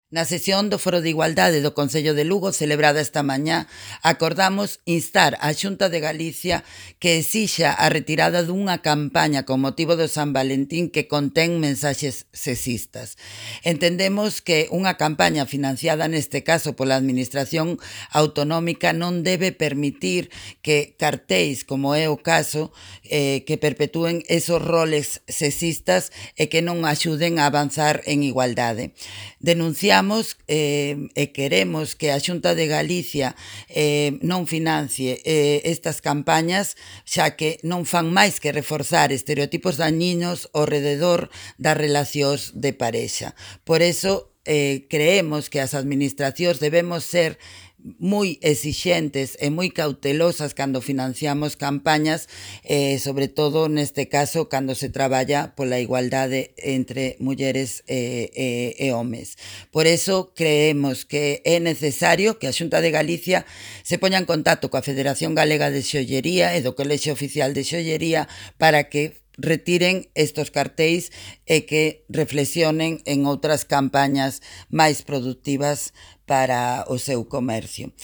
Na sesión do Foro de Igualdade do Concello de Lugo, celebrada esta mañá, acordamos instar á Xunta de Galicia que exixa a retirada dunha campaña con motivo do San Valentín que contén mensaxes sexistas. Entendemos que unha campaña financiada neste caso pola Administración Autonómica non debe permitir que cartéis, como é o caso, que perpetúen esos roles sexistas e que non axuden a avanzar en igualdade. Denunciamos e queremos que a Xunta de Galicia non financie estas campañas, xa que non fan máis que reforzar estereotipos dañinos ao rededor das relacións de parexa. Por eso, creemos que as administracións debemos ser moi exixentes e moi cautelosas cando financiamos campañas, sobre todo neste caso cando se traballa pola igualdade entre mulleres e homes. Por eso creemos que é necesario que a Xunta de Galicia se poña en contacto coa Federación Galega de Xollería e do Colexio Oficial de Xollería para que retiren estos cartéis e que reflexionen en outras campañas máis productivas para o seu comercio.